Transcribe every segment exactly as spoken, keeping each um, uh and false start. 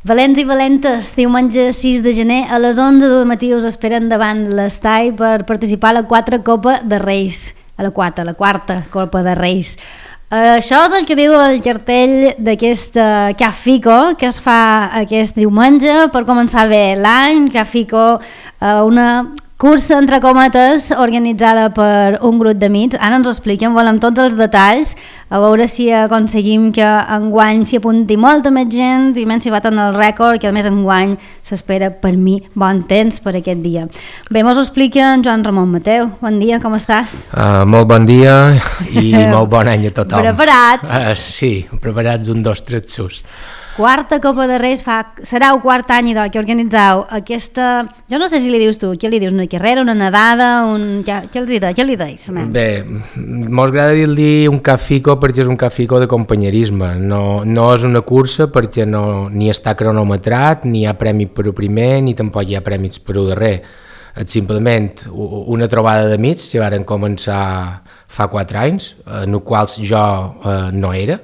Valents i valentes, diumenge sis de gener a les onze del matí us esperen davant l'Estai per participar a la quatre Copa de Reis, a la quarta, la quarta Copa de Reis. Uh, això és el que diu el cartell d'aquest uh, Cafico que es fa aquest diumenge per començar bé l'any. Cafico, uh, una cursa entre cometes organitzada per un grup d'amics. Ara ens ho expliquem, volem tots els detalls, a veure si aconseguim que enguany s'hi apunti molta més gent i menys si baten el rècord, que a més enguany s'espera per mi bon temps per aquest dia. Bé, mos ho explica en Joan Ramon Mateu. Bon dia, com estàs? Uh, molt bon dia i molt bon any a tothom. Preparats? Uh, sí, preparats un, dos, tres, sus. Quarta Copa de Reis, fa, serà el quart any idò, que organitzeu aquesta... Jo no sé si li dius tu, què li dius? Una carrera, una nedada, un... Ja, què li dius? Què li dius? Bé, mos agrada dir-li un cafico perquè és un cafico de companyerisme. No, no és una cursa perquè no, ni està cronometrat, ni hi ha premi per a primer, ni tampoc hi ha prèmits per a darrer. És simplement una trobada d'amics que varen començar fa quatre anys, en els quals jo eh, no era,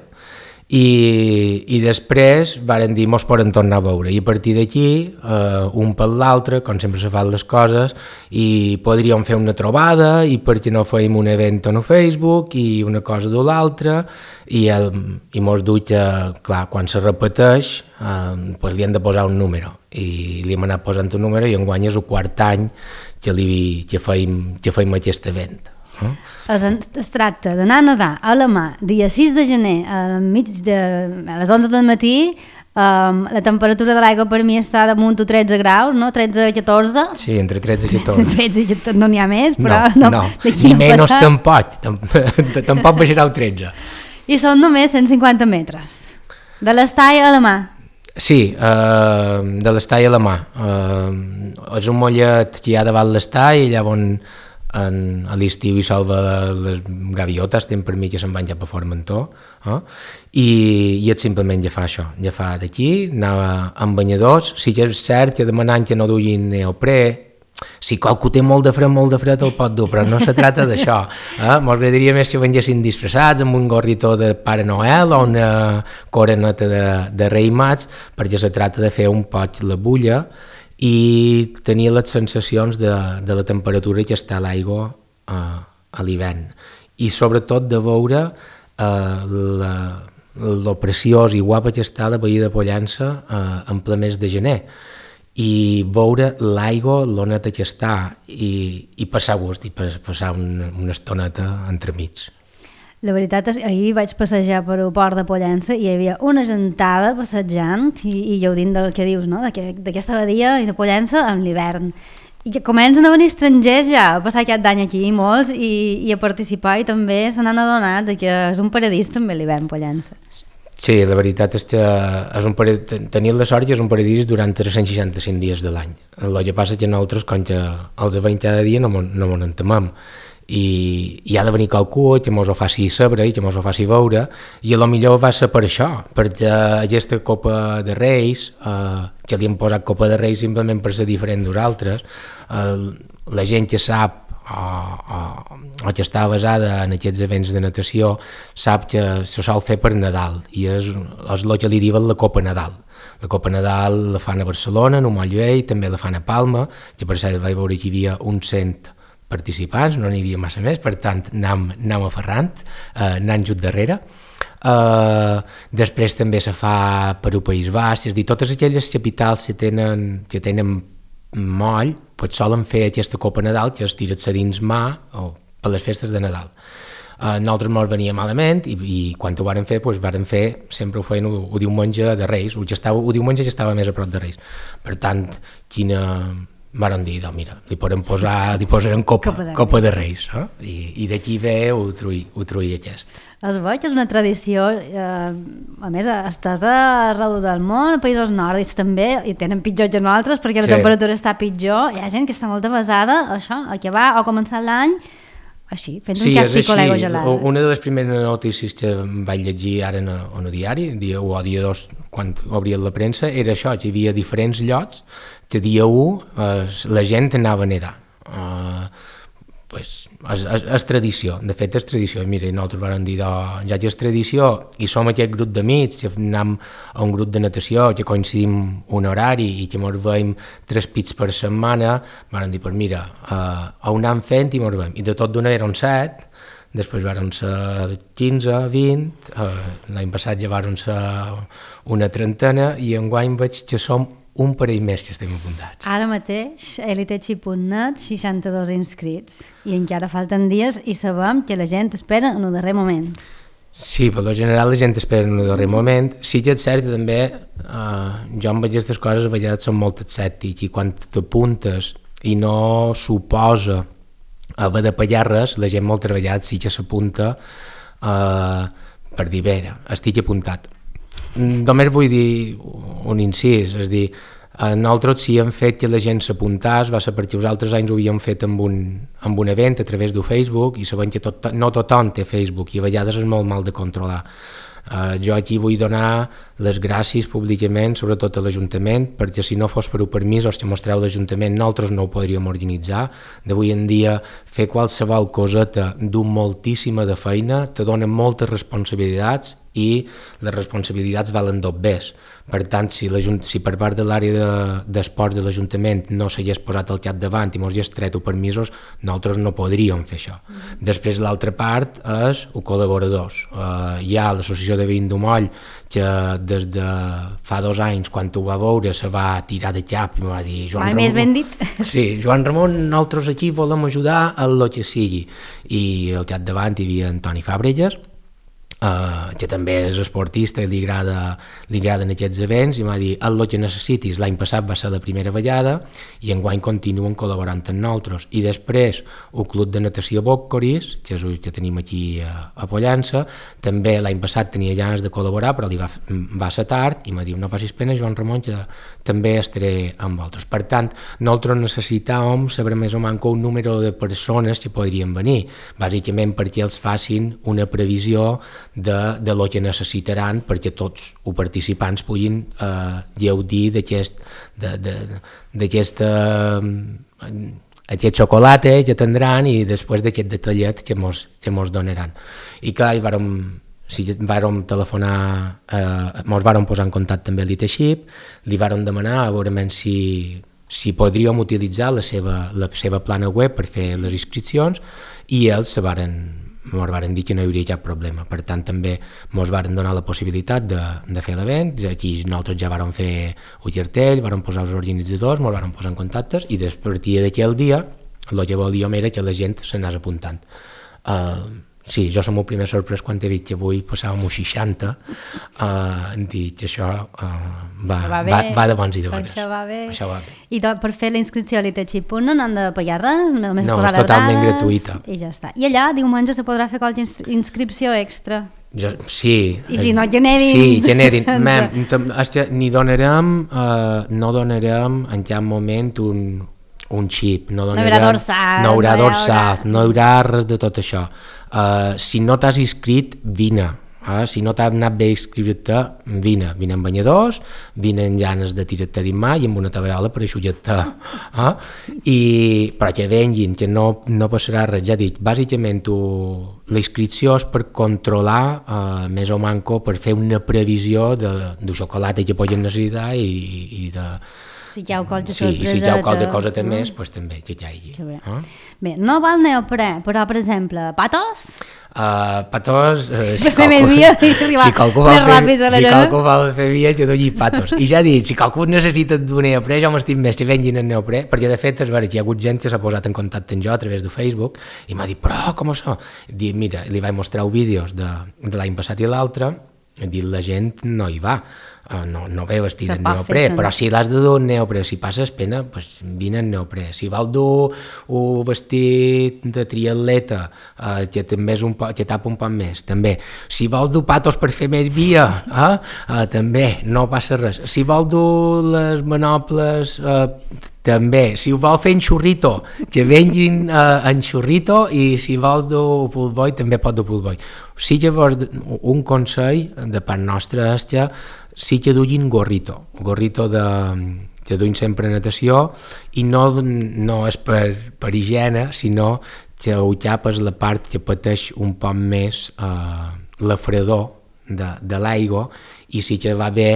I, i després varen dir mos poden tornar a veure i a partir d'aquí eh, un per l'altre, com sempre se fan les coses, i podríem fer una trobada i perquè no fèiem un event en Facebook i una cosa de l'altra i, el, i mos diu que clar, quan se repeteix eh, pues li hem de posar un número i li hem anat posant un número i enguany és el quart any que, li, que, feim, que feim aquest event. Uh. Es, es tracta d'anar a nedar a la mà dia sis de gener a, mig de, a les onze del matí. Um, la temperatura de l'aigua per mi està damunt tretze graus, no? tretze a catorze. Sí, entre tretze i catorze. tretze i catorze no n'hi ha més, però no, no, no. Ni menys tampoc, tampoc baixarà el tretze. I són només cent cinquanta metres de l'Estai a la mà. Sí, eh, de l'Estai a la mà. Eh, és un mollet que hi ha davant l'Estai i allà on En, a l'estiu hi salva les gaviotes, tenen per mi que se'n van ja per Formentó, eh? I, i és simplement ja fa això, ja fa d'aquí, anar amb banyadors, sí que és cert que demanant que no duguin neoprè, si qualcú té molt de fred, molt de fred el pot dur, però no se trata d'això, eh? M'agradaria més si vengessin disfressats amb un gorrito de Pare Noel o una coroneta de, de Rei Mats, perquè se trata de fer un poc la bulla i tenir les sensacions de, de la temperatura que està a l'aigua eh, a l'hivern i sobretot de veure eh, la, lo preciós i guapa que està la Badia de Pollença eh, en ple mes de gener i veure l'aigua, l'oneta que està i, i passar gust i passar una, una estoneta entremig. La veritat és que ahir vaig passejar per el port de Pollença i hi havia una gentada passejant i, i gaudint del que dius, no? d'aquesta badia i de Pollença en l'hivern. I que comencen a venir estrangers ja a passar aquest any aquí, molts, i, i a participar i també se n'han adonat que és un paradís també l'hivern Pollença. Sí, la veritat és que és un paradís, tenir la sort que és un paradís durant tres-cents seixanta-cinc dies de l'any. El que passa que nosaltres, com que els veiem cada dia, no m'ho entemem. I, i ha de venir qualcú que mos ho faci saber i que mos ho faci veure i a lo millor va ser per això, perquè aquesta Copa de Reis, eh, que li hem posat Copa de Reis simplement per ser diferent d'altres, eh, la gent que sap o, o, o que està basada en aquests events de natació sap que se sol fer per Nadal i és, és el que li diuen la Copa Nadal. La Copa Nadal la fan a Barcelona, en un moll vell, també la fan a Palma, que per cert vaig veure que hi havia uns cent participants, no n'hi havia massa més, per tant anàvem, anàvem aferrant, eh, anant just darrere. Eh, després també se fa per al País Basc, és a dir, totes aquelles capitals que tenen, que tenen moll, pues solen fer aquesta Copa Nadal que es tira a dins mà o per les festes de Nadal. Uh, nosaltres ens venia malament i, i quan ho varen fer, doncs varen fer, sempre ho feien el, el diumenge de Reis, el, estava, el diumenge ja estava més a prop de Reis. Per tant, quina... Varen dir, no, mira, li podem posar, li posarem Copa, Copa de Reis, Copa de Reis eh? I, i d'aquí ve ho truï aquest. Es veu que és una tradició, eh, a més, estàs arreu del món, a països nòrdics també, i tenen pitjor que nosaltres perquè la sí. temperatura està pitjor, hi ha gent que està molt avasada a això, a que va o començar l'any així, fent sí, un cafico a l'aigua gelada. Una de les primeres notícies que vaig llegir ara en el diari, dia u o dia dos, quan obrien la premsa, era això, que hi havia diferents llocs que dia u eh, la gent anava a nedar. Eh, pues, és, és, és tradició, de fet és tradició. I mira, nosaltres vam dir, ja que és tradició, i som aquest grup d'amics, que anem a un grup de natació, que coincidim un horari i que ens veiem tres pits per setmana, vam dir, pues mira, uh, ho anem fent i ens veiem. I de tot d'una eren set, després varen ser quinze, vint, uh, l'any passat ja varen ser una trentena, i enguany veig que som un parell més que estem apuntats. Ara mateix, elitechi punt net, seixanta-dos inscrits, i encara falten dies i sabem que la gent espera en el darrer moment. Sí, per lo general la gent espera en el darrer moment. Sí que és cert que també eh, jo amb aquestes coses a vegades som molt escèptic, i quan t'apuntes i no suposa haver de pagar res, la gent moltes vegades sí que s'apunta eh, per dir, bé, estic apuntat. Només vull dir un incís, és a dir, nosaltres sí hem fet que la gent s'apuntàs, va ser perquè els altres anys ho havíem fet amb un, amb un event a través de Facebook, i sabem que tot, no tothom té Facebook i a vegades és molt mal de controlar. Uh, jo aquí vull donar les gràcies públicament, sobretot a l'Ajuntament, perquè si no fos per un permís o que mostreu l'Ajuntament, nosaltres no ho podríem organitzar. D'avui en dia fer qualsevol coseta du moltíssima de feina, te donen moltes responsabilitats i les responsabilitats valen dobbers. Per tant, si, si per part de l'àrea d'esports de, de l'Ajuntament no s'hagués posat al capdavant i mos hagués tret o permisos, nosaltres no podríem fer això. Mm. Després l'altra part és els col·laboradors. Uh, hi ha l'associació de veïns d'Umoll, que des de fa dos anys, quan ho va veure, se va tirar de cap i em va dir... Joan Ramon, més ben dit. Sí, Joan Ramon, nosaltres aquí volem ajudar a el que sigui. I al capdavant hi havia Antoni Fàbregas, Uh, que també és esportista i li, agrada, li agraden aquests events, i m'ha dit el que necessitis. L'any passat va ser la primera vegada i enguany continuen col·laborant amb nosaltres. I després el Club de Natació Boccoris, que és el que tenim aquí a, a Pollença, també l'any passat tenia ganes de col·laborar, però li va, va ser tard, i m'ha dit no passis pena, Joan Ramon, que també estaré amb vosaltres. Per tant, nosaltres necessitàvem saber més o menys un número de persones que podrien venir, bàsicament perquè els facin una previsió de, de lo que necessitaran perquè tots els participants puguin eh, gaudir d'aquest d'aquest aquest xocolata que tindran i després d'aquest detallet que mos, que mos donaran. I clar, hi vàrem, sí, vàrem telefonar, eh, mos vàrem posar en contacte amb l'Iteship, li vàrem demanar a veure si, si podríem utilitzar la seva, la seva plana web per fer les inscripcions, i ells se varen ens van dir que no hi hauria cap problema. Per tant, també ens van donar la possibilitat de, de fer l'event. Aquí nosaltres ja vàrem fer un cartell, vàrem posar els organitzadors, ens vàrem posar en contactes, i després d'aquell dia el que volíem era que la gent s'anés apuntant. Uh, sí, jo som el primer sorprès quan he dit que avui passàvem uns seixanta, uh, hem dit que això, uh, va, va, va, va de bons i de bones. Això va bé. Això va bé. I to, per fer la inscripció a l'Iteship no han de pagar res? Només no, és totalment dades, gratuïta. I ja està. I allà diumenge se podrà fer qualque inscripció extra? Jo, sí. I si no generin... Sí, generin. Mem, ni donarem, uh, no donarem en cap moment un, un xip. No, donarem, no hi haurà dorsal. No hi haurà dorsal, no hi haurà res de tot això. Uh, si no t'has inscrit, vine. Uh, si no t'has anat bé inscriure-te, vine. Vine amb banyadors, vine amb llanes de tirar-te dins mà i amb una tabaiola per aixullar-te. Uh? I però que venguin, que no, no passarà res. Ja dic, bàsicament tu, la inscripció és per controlar uh, més o manco, per fer una previsió de, de xocolata que poden necessitar i, i de... Si hi ha qualque sí, sorpresa... I si hi ha qualque cosa de més, doncs també que hi hagi. Bé. Uh? bé, no val neoprè, però per exemple, patos? Uh, patos, uh, si, per fer més via i arribar si qualcú vol més fer, ràpid a la si lluna. qualcú vol fer via, jo dono patos. I ja dic, si qualcú necessita d'un neoprè, jo m'estic més que vengin el neoprè, perquè de fet és vera que hi ha hagut gent que s'ha posat en contacte amb jo a través de Facebook i m'ha dit, però com això? Dic, mira, li vaig mostrar vídeos de, de l'any passat i l'altre, i dit, la gent no hi va. Uh, no, no ve vestit en neoprè, però si l'has de dur en neoprè, si passes pena, pues vine en neoprè. Si vol dur un vestit de triatleta, uh, que també és un po, que tapa un poc més, també. Si vol dur patos per fer més via, uh, uh, també, no passa res. Si vol dur les manoples, uh, també. Si ho vol fer en xurrito, que venguin uh, en xurrito, i si vols dur pull boy, també pot dur pull boy. Sí que vos, un consell de part nostra és que sí que duguin gorrito, gorrito de, que duin sempre natació, i no, no és per, per higiene, sinó que ho xapes la part que pateix un poc més eh, la fredor de, de l'aigua, i si que va bé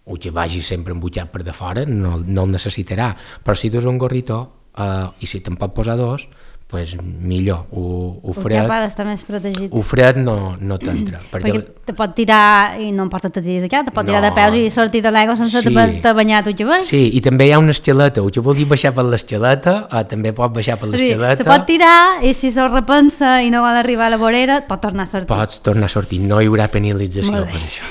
o que vagi sempre embutxat per de fora no, no el necessitarà, però si dus un gorritó eh, i si te'n pot posar dos, pues millor, ho, ho fred, ha d'estar més protegit. Ho fred no, no t'entra. Perquè, perquè te pot tirar, i no importa que te tiris d'aquí, te pot tirar no. de peus i sortir de l'aigua sense sí. te banyar tu que veus. Sí, i també hi ha una escaleta, o que vulgui baixar per l'escaleta, eh, també pot baixar per l'escaleta. Sí, se pot tirar i si se'l repensa i no vol arribar a la vorera, pot tornar a sortir. Pots tornar a sortir, no hi haurà penalització per això.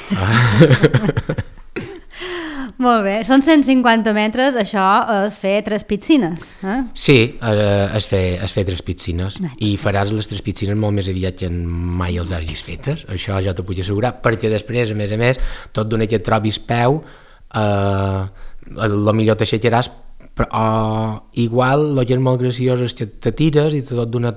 Molt bé, són cent cinquanta metres, això és fer tres piscines. Eh? Sí, és fer, és fer tres piscines, no, i faràs les tres piscines molt més aviat que mai els hagis fetes, això ja t'ho puc assegurar, perquè després, a més a més, tot d'una que et trobis peu, eh, el millor t'aixecaràs, però igual el que és molt graciós és que te tires i tot d'una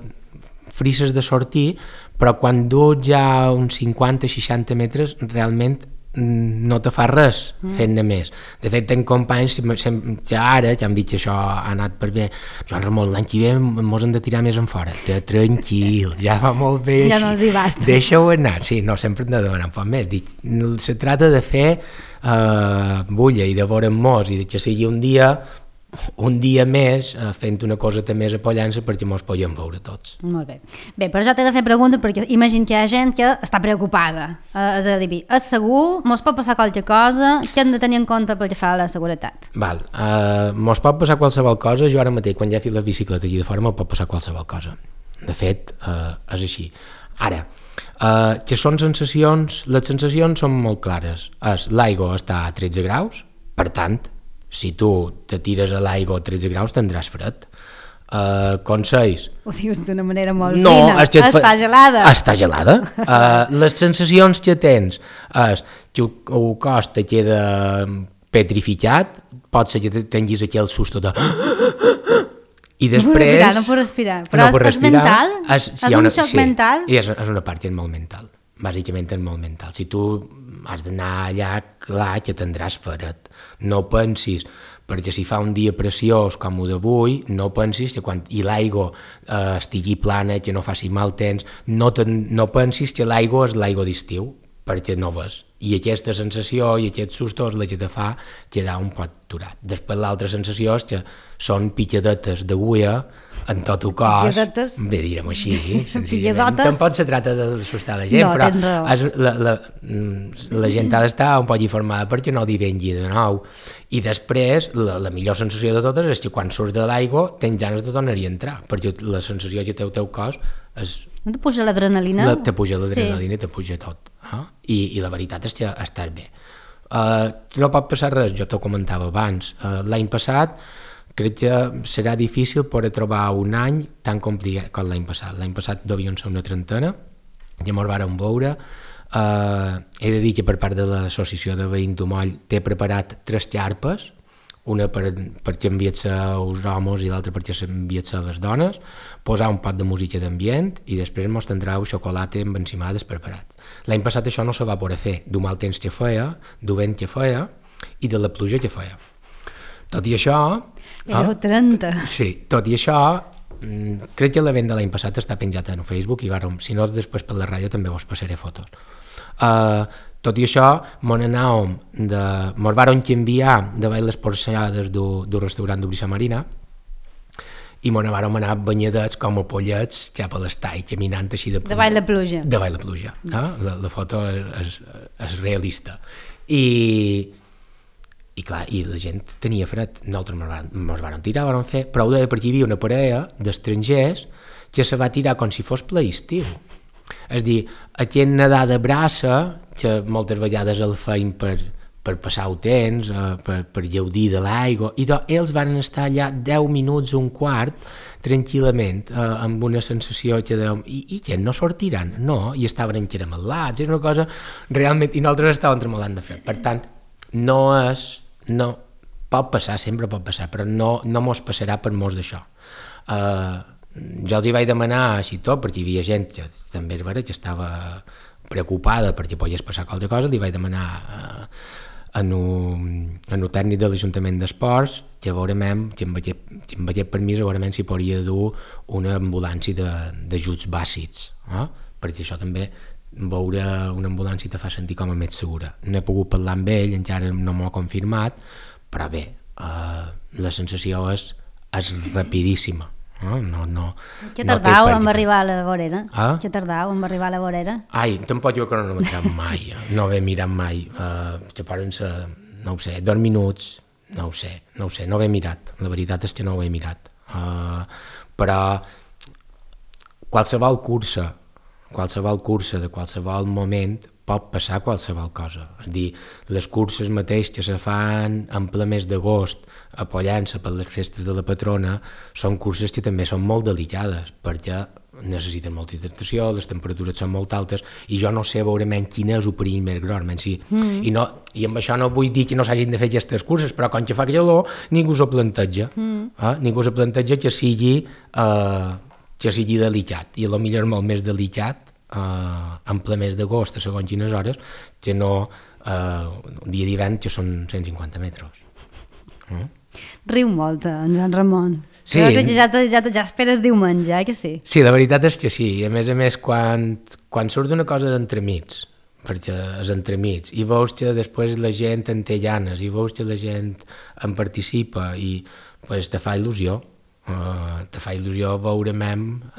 frisses de sortir, però quan dus ja uns cinquanta seixanta metres, realment no te fa res fent-ne més. De fet, tenc companys que ara, que han dit que això ha anat per bé, Joan Ramon, l'any que ve mos hem de tirar més en fora. Tranquil, ja va molt bé ja així. No els hi basta. Deixa-ho anar. Sí, no, sempre hem de demanar un poc més. Dic, se trata de fer uh, bulla i de veure'n mos, i que sigui un dia un dia més uh, fent una coseta més apollant-se perquè mos podem veure tots. Molt bé. Bé, però ja t'he de fer pregunta perquè imagino que hi ha gent que està preocupada. Uh, és a dir, és segur? Mos pot passar qualque cosa? Què hem de tenir en compte pel que fa a la seguretat? Val. Uh, mos pot passar qualsevol cosa. Jo ara mateix, quan ja he fet la bicicleta aquí de fora, me pot passar qualsevol cosa. De fet, uh, és així. Ara, uh, que són sensacions... Les sensacions són molt clares. És, l'aigua està a tretze graus, per tant, si tu te tires a l'aigua a tretze graus tindràs fred. Uh, consells... Ho dius d'una manera molt no, fina. Està fa... gelada. Està gelada. Uh, les sensacions que tens és que el cos te queda petrificat, pot ser que tinguis aquí el susto de... I després... No, no puc respirar. Però no és, és respirar, mental? És, sí, és un una, xoc sí, mental? És, és una part que és molt mental. Bàsicament és molt mental. Si tu has d'anar allà, clar que tindràs fred. No pensis, perquè si fa un dia preciós com el d'avui, no pensis que quan i l'aigua eh, estigui plana, que no faci mal temps, no, ten, no pensis que l'aigua és l'aigua d'estiu, perquè no ves. I aquesta sensació i aquest susto és la que te fa quedar un poc aturat. Després l'altra sensació és que són picadetes d'agulla en tot el cos. Picadetes? Bé, direm així, senzillament. Tampoc se tracta d'assustar la gent, no, però és, la, la, la gent ha d'estar un poc informada perquè no li vengui de nou. I després, la, la millor sensació de totes és que quan surts de l'aigua tens ganes de tornar-hi a entrar, perquè la sensació que té el teu cos és... No te puja l'adrenalina? La, te puja l'adrenalina, sí. Te puja tot. Eh? I, I la veritat és que estàs bé. Uh, no pot passar res, jo t'ho comentava abans. Uh, l'any passat crec que serà difícil poder trobar un any tan complicat com l'any passat. L'any passat devien ser una trentena, ja ens vàrem veure. Uh, he de dir que per part de l'associació de veïns d'Omoll té preparat tres xarpes, una per, perquè enviat-se als homes i l'altra perquè s'enviat-se a les dones, posar un pot de música d'ambient i després mos tindreu xocolata amb encimades preparat. L'any passat això no se va poder fer, d'un mal temps que feia, d'un vent que feia i de la pluja que feia. Tot i això... Éreu trenta. Sí, tot i això, crec que l'event de l'any passat està penjat en Facebook i vàrem, si no després per la ràdio també vos passaré fotos. Uh, tot i això, mos anàvem de... mos vàrem enviar de veure les porxades del restaurant de Brisa Marina i mos vàrem anar banyadets com a pollets cap a l'estall, caminant així de pluja. De ball de pluja. De ball de pluja. Eh? La, la foto és, és realista. I, i clar, i la gent tenia fred. Nosaltres mos vàrem, mos vàrem tirar, vàrem fer, però ho deia perquè hi havia una parella d'estrangers que se va tirar com si fos ple estiu. És a dir, aquest nedar de braça, que moltes vegades el feim per, per passar el temps, eh, per, per gaudir de l'aigua, i doncs ells van estar allà deu minuts, un quart, tranquil·lament, eh, amb una sensació que dèiem, i, i què, no sortiran? No, i estaven encaramelats, és una cosa realment, i nosaltres estàvem tremolant de fred. Per tant, no és, no, pot passar, sempre pot passar, però no, no mos passarà per mos d'això. Eh, jo els hi vaig demanar així tot, perquè hi havia gent que també és vera que estava preocupada perquè podies passar qualque cosa, li vaig demanar eh, en un, en un tècnic de l'Ajuntament d'Esports que veurem, que amb aquest, que amb aquest permís veurem si podria dur una ambulància d'ajuts bàsics, eh? Perquè això també veure una ambulància te fa sentir com a més segura. No he pogut parlar amb ell, encara no m'ho ha confirmat, però bé, eh, la sensació és, és rapidíssima. No, no, no, Què no tardau en arribar a la vorera? Ah? Què tardau en arribar a la vorera? Ai, tampoc jo cronometrat mai, no he mirat mai, uh, que poden ser, no ho sé, dos minuts, no ho sé, no ho sé, no ho he mirat, la veritat és que no ho he mirat, uh, però qualsevol cursa, qualsevol cursa de qualsevol moment pot passar qualsevol cosa. És a dir, les curses mateix que se fan en ple mes d'agost a Pollença per les festes de la patrona són curses que també són molt delicades perquè necessiten molta hidratació, les temperatures són molt altes i jo no sé veure menys quin és el perill més gros. Si, mm. i, no, I amb això no vull dir que no s'hagin de fer aquestes curses, però quan que fa calor ningú s'ho planteja. Mm. Eh? Ningú s'ho planteja que sigui, eh, que sigui delicat i potser molt més delicat Uh, en ple mes d'agost a segons quines hores que no uh, un dia d'hivern que són cent cinquanta metres. Mm? Riu molt, en Joan Ramon. Sí. Crec que ja, ja, ja esperes diumenge, eh, que sí? Sí, la veritat és que sí. I a més a més, quan, quan surt una cosa d'entremig, perquè és entremig, i veus que després la gent en té ganes, i veus que la gent en participa, i pues, te fa il·lusió. Uh, te fa il·lusió veurem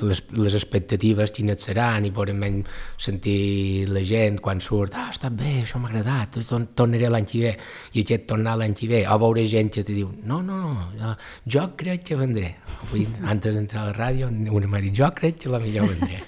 les, les expectatives quines seran i veurem sentir la gent quan surt, ah, està bé, això m'ha agradat, tornaré l'any que ve i aquest tornar l'any que ve, o veure gent que te diu, no, no, no jo crec que vendré. Avui, antes d'entrar a la ràdio, una m'ha dit, jo crec que la millor vendré.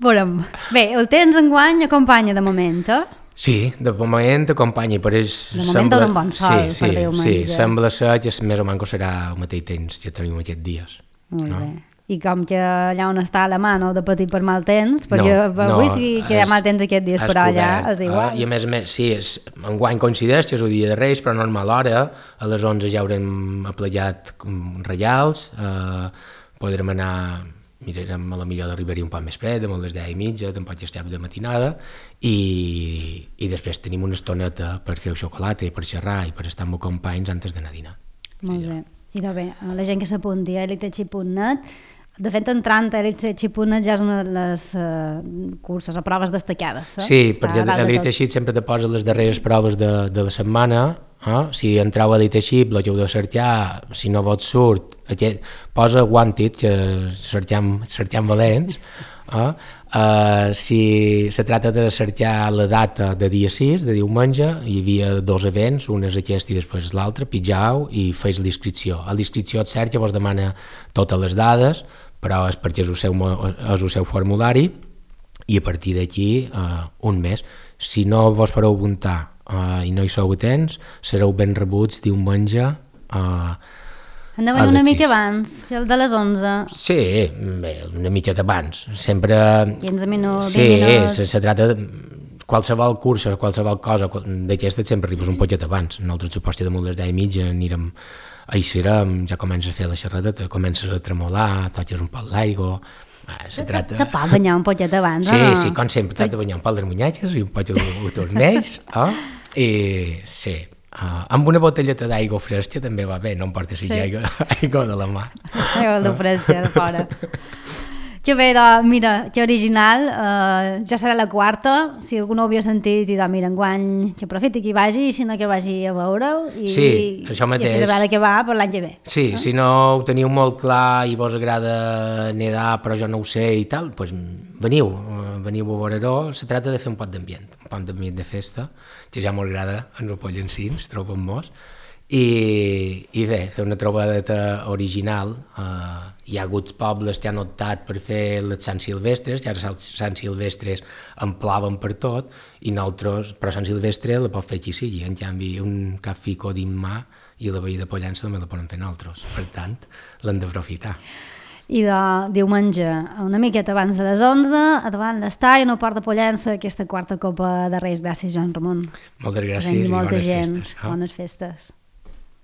Veurem. Bé, el temps enguany acompanya de moment, eh? Sí, de moment acompanya, però és... De moment dona un bon sol, sí, per sí, Déu sí, menja. sembla ser que més o menys serà el mateix temps que tenim aquests dies. Molt no? bé. I com que allà on està la mà no de patir per mal temps, perquè no, avui no, sí que hi ha mal temps aquests dies, però allà és igual. Eh? I a més a més, sí, és, enguany coincideix que és el dia de Reis, però a normal hora, a les onze ja haurem aplegat reials, eh, podrem anar... mirarem a la millor d'arribar-hi un poc més fred, amb les deu i mitja, tampoc ja estem de matinada, i, i després tenim una estoneta per fer el xocolata i per xerrar i per estar amb els companys antes d'anar a dinar. Molt sí, bé. I de bé, la gent que s'apunti a elitechi punt net, de fet entrant a elitechi punt net ja és una de les uh, curses o proves destacades. Eh? Sí, Està perquè Eliteixit sempre te posa les darreres proves de, de la setmana. Eh? Si entrau a Eliteixit, el que heu de cercar, si no vos surt, aquest, posa Wanted, que cercam, cercam valents. Eh? Uh, si se tracta de cercar la data de dia sis, de diumenge, hi havia dos events, un és aquest i després l'altre, pitjau i feis l'inscripció. A l'inscripció et cert que vos demana totes les dades, però és perquè és el seu, és el seu formulari i a partir d'aquí uh, un mes. Si no vos fareu apuntar uh, i no hi sou atents, sereu ben rebuts diumenge uh, hem de venir una mica abans, el de les onze. Sí, bé, una mica abans. Sempre... quinze minuts, sí, vint minuts. Sí, se trata de qualsevol cursa, qualsevol cosa d'aquesta sempre arribes un poquet abans. Nosaltres suposo que damunt les deu i mitja anirem a Eixirem, ja comença a fer la xerradeta, comences a tremolar, toques un poc l'aigua... Se trata... Te pot banyar un poquet abans, sí, o no? Sí, com sempre, t'has de banyar un poc les munyatges i un poc de tornells, oh? I sí, uh, amb una botelleta d'aigua fresca també va bé, no em porta si sí. aigua, aigua de la mà. Aigua de fresca de fora. Que bé, doncs, mira, que original, uh, ja serà la quarta, si algú no ho havia sentit, i doncs, mira, enguany que aprofiti que hi vagi, i si no que vagi a veure-ho, i, sí, això mateix. I si sabrà de què va per l'any que ve. Sí, no? Si no ho teniu molt clar i vos agrada nedar, però jo no ho sé i tal, doncs veniu, veniu a veure-ho, se trata de fer un pot d'ambient, un pot d'ambient de festa, que ja m'agrada en el Pollencins, trobem-nos, I, i bé, fer una trobadeta original. Uh, hi ha hagut pobles que han optat per fer les Sant Silvestres, que ara les Sant Silvestres en plaven per tot, i nosaltres, però Sant Silvestre la pot fer qui sigui, en canvi un cap fico d'Immà i la veïda de Pollença també la poden fer nosaltres, per tant l'hem d'aprofitar. I de diumenge, una miqueta abans de les onze, a davant l'estall, en el Port de Pollença, aquesta quarta Copa de Reis. Gràcies, Joan Ramon. Moltes gràcies i bones gent. festes. Bones festes.